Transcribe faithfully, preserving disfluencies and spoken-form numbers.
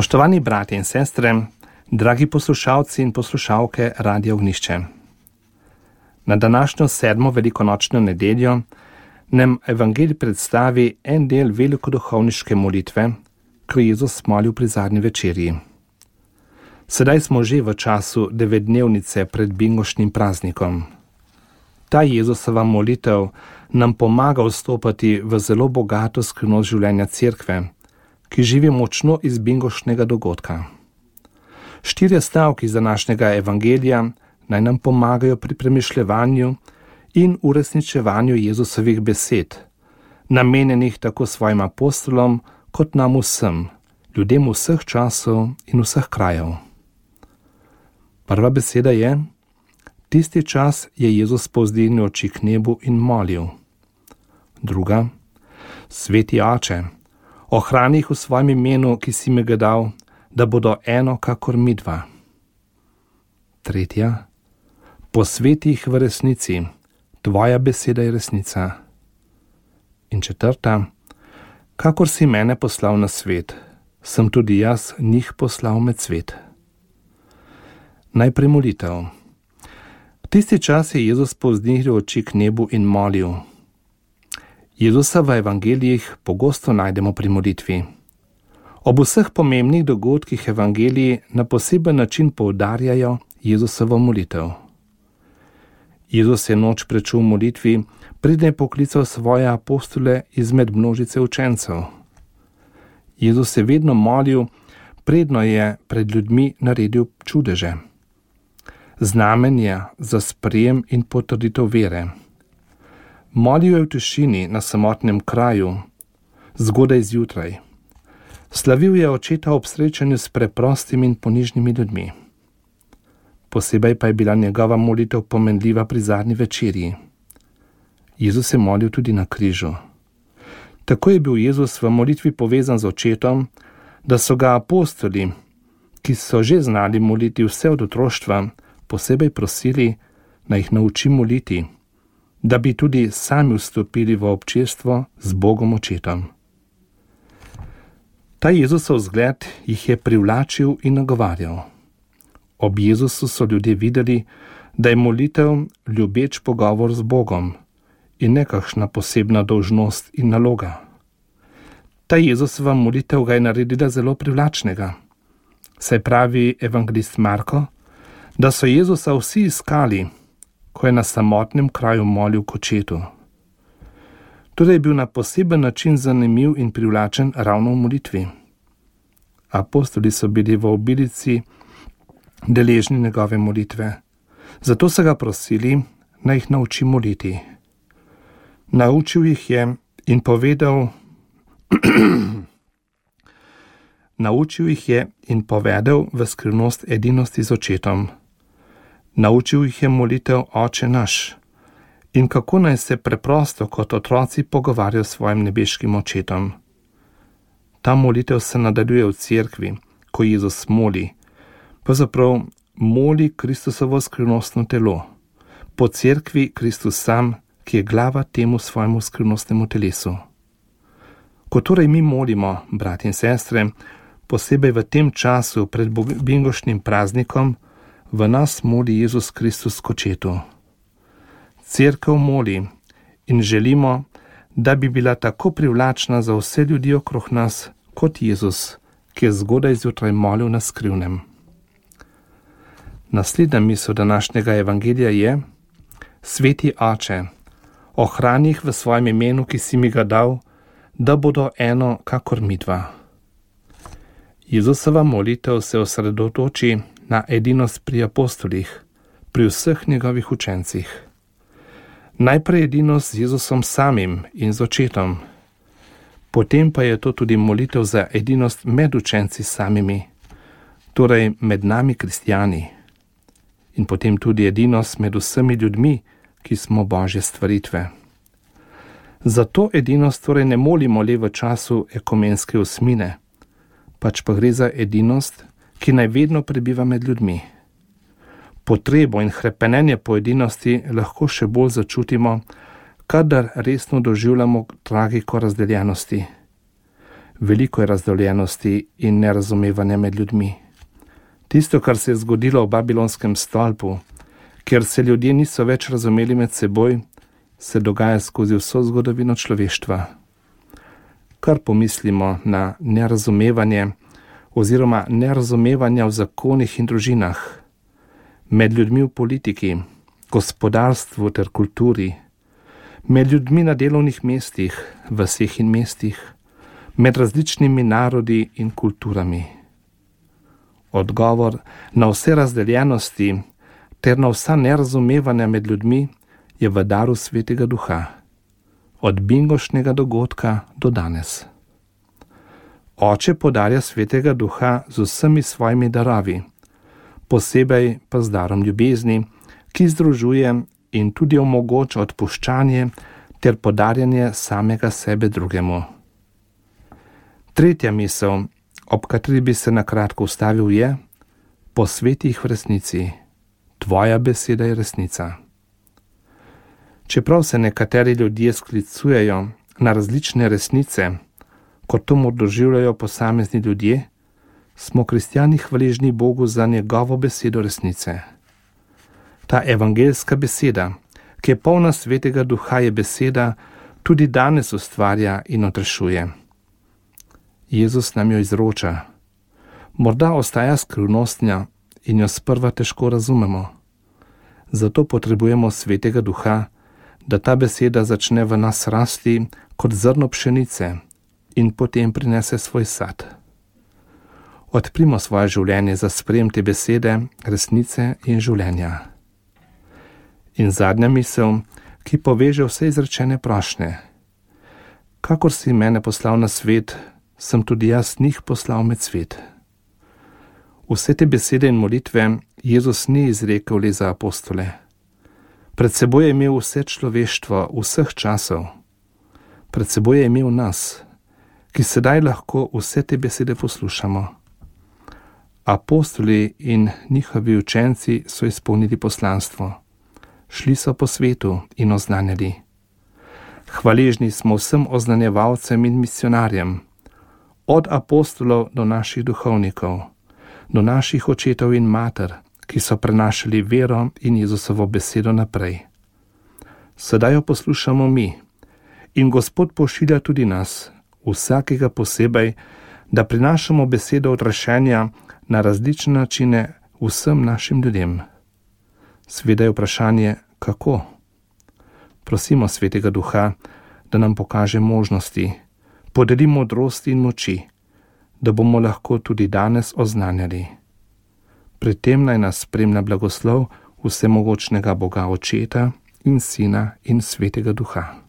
Spoštovani bratje in sestre, dragi poslušalci in poslušalke Radia Ognjišče. Na današnjo sedmo velikonočno nedeljo nam evangelij predstavi en del velikoduhovniške molitve, ko je Jezus molil pri zadnji večerji. Sedaj smo že v času devetdnevnice pred bingošnim praznikom. Ta Jezusova molitev nam pomaga vstopati v zelo bogato skrivnost življenja cerkve, ki živi močno iz bingošnega dogodka. Štirje stavki iz današnjega evangelija naj nam pomagajo pri premišljevanju in uresničevanju Jezusovih besed, namenjenih tako svojim apostolom kot nam vsem, ljudem vseh časov in vseh krajev. Prva beseda je: tisti čas je Jezus povzdignil oči k nebu in molil. Druga: Sveti Oče, ohrani jih v svojem imenu, ki si mi ga dal, da bodo eno kakor midva. Tretja: posveti jih v resnici, tvoja beseda je resnica. In četrta: kakor si mene poslal na svet, sem tudi jaz njih poslal med svet. Najprej molitev. Tisti čas je Jezus povzdignil oči k nebu in molil. Jezusa v evangelijih pogosto najdemo pri molitvi. Ob vseh pomembnih dogodkih evangeliji na poseben način poudarjajo Jezusovo molitev. Jezus je noč prečul v molitvi, preden je poklical svoje apostole izmed množice učencev. Jezus je vedno molil, predno je pred ljudmi naredil čudeže. Znamenje za sprejem in potrditev vere. Molil je v tišini na samotnem kraju, zgodaj zjutraj. Slavil je očeta ob srečanju s preprostimi in ponižnimi ljudmi. Posebej pa je bila njegova molitev pomenljiva pri zadnji večerji. Jezus je molil tudi na križu. Tako je bil Jezus v molitvi povezan z očetom, da so ga apostoli, ki so že znali moliti vse od otroštva, posebej prosili, naj jih nauči moliti, da bi tudi sami vstopili v občestvo z Bogom očetom. Ta Jezusov zgled jih je privlačil in nagovarjal. Ob Jezusu so ljudje videli, da je molitev ljubeč pogovor z Bogom in nekakšna posebna dolžnost in naloga. Ta Jezusova molitev ga je naredila zelo privlačnega. Saj pravi evangelist Marko, da so Jezusa vsi iskali, ko je na samotnem kraju molil k očetu. Torej je bil na poseben način zanimiv in privlačen ravno v molitvi. Apostoli so bili v obilici deležni njegove molitve, zato so ga prosili, naj jih nauči moliti. Naučil jih je in povedal, naučil jih je in povedal v skrivnost edinosti z očetom. Naučil jih je molitev Oče naš in kako naj se preprosto kot otroci pogovarjajo s svojim nebeškim očetom. Ta molitev se nadaljuje v cerkvi, ko Jezus moli, pravzaprav moli Kristusovo skrivnostno telo, po cerkvi Kristus sam, ki je glava temu svojemu skrivnostnemu telesu. Ko torej mi molimo, bratje in sestre, posebej v tem času pred bingošnim praznikom, v nas moli Jezus Kristus k očetu. Cerkev moli in želimo, da bi bila tako privlačna za vse ljudi okrog nas, kot Jezus, ki je zgodaj zjutraj molil na skrivnem. Naslednja misel današnjega evangelija je: Sveti Oče, ohrani jih v svojem imenu, ki si mi ga dal, da bodo eno kakor midva. Jezusova molitev se osredotoči na edinost pri apostolih, pri vseh njegovih učencih. Najprej edinost z Jezusom samim in z očetom, potem pa je to tudi molitev za edinost med učenci samimi, torej med nami kristjani, in potem tudi edinost med vsemi ljudmi, ki smo Božje stvaritve. Zato edinost torej ne molimo le v času ekumenske osmine, pač pa gre za edinost, ki naj vedno prebiva med ljudmi. Potrebo in hrepenenje po edinosti lahko še bolj začutimo, kadar resno doživljamo tragiko razdeljenosti. Veliko je razdoljenosti in nerazumevanja med ljudmi. Tisto, kar se je zgodilo v Babilonskem stolpu, kjer se ljudje niso več razumeli med seboj, se dogaja skozi vso zgodovino človeštva. Kar pomislimo na nerazumevanje oziroma nerazumevanja v zakonih in družinah, med ljudmi v politiki, gospodarstvu ter kulturi, med ljudmi na delovnih mestih, vaseh in mestih, med različnimi narodi in kulturami. Odgovor na vse razdeljenosti ter na vsa nerazumevanja med ljudmi je v daru Svetega Duha, od bingošnjega dogodka do danes. Oče podarja Svetega Duha z vsemi svojimi darovi, posebej pa z darom ljubezni, ki združuje in tudi omogoča odpuščanje ter podarjanje samega sebe drugemu. Tretja misel, ob kateri bi se na kratko ustavil, je: posveti jih v resnici. Tvoja beseda je resnica. Čeprav se nekateri ljudje sklicujejo na različne resnice, kot to doživljajo posamezni ljudje, smo kristjani hvaležni Bogu za njegovo besedo resnice. Ta evangeljska beseda, ki je polna Svetega Duha, je beseda, tudi danes ustvarja in odrešuje. Jezus nam jo izroča. Morda ostaja skrivnostna in jo sprva težko razumemo. Zato potrebujemo Svetega Duha, da ta beseda začne v nas rasti kot zrno pšenice in potem prinese svoj sad. Odprimo svoje življenje za sprejem te besede, resnice in življenja. In zadnja misel, ki poveže vse izrečene prošnje. Kakor si mene poslal na svet, sem tudi jaz njih poslal med svet. Vse te besede in molitve Jezus ni izrekel le za apostole. Pred seboj je imel vse človeštvo vseh časov. Pred seboj je imel nas, ki sedaj lahko vse te besede poslušamo. Apostoli in njihovi učenci so izpolnili poslanstvo. Šli so po svetu in oznanjali. Hvaležni smo vsem oznanjevalcem in misionarjem, od apostolov do naših duhovnikov, do naših očetov in mater, ki so prenašali vero in Jezusovo besedo naprej. Sedaj jo poslušamo mi in Gospod pošilja tudi nas, vsakega posebej, da prinašamo besedo odrešenja na različne načine vsem našim ljudem. Sveda je vprašanje, kako? Prosimo Svetega Duha, da nam pokaže možnosti, podeli modrosti in moči, da bomo lahko tudi danes oznanjali. Pri tem naj nas spremlja blagoslov vsemogočnega Boga Očeta in Sina in Svetega Duha.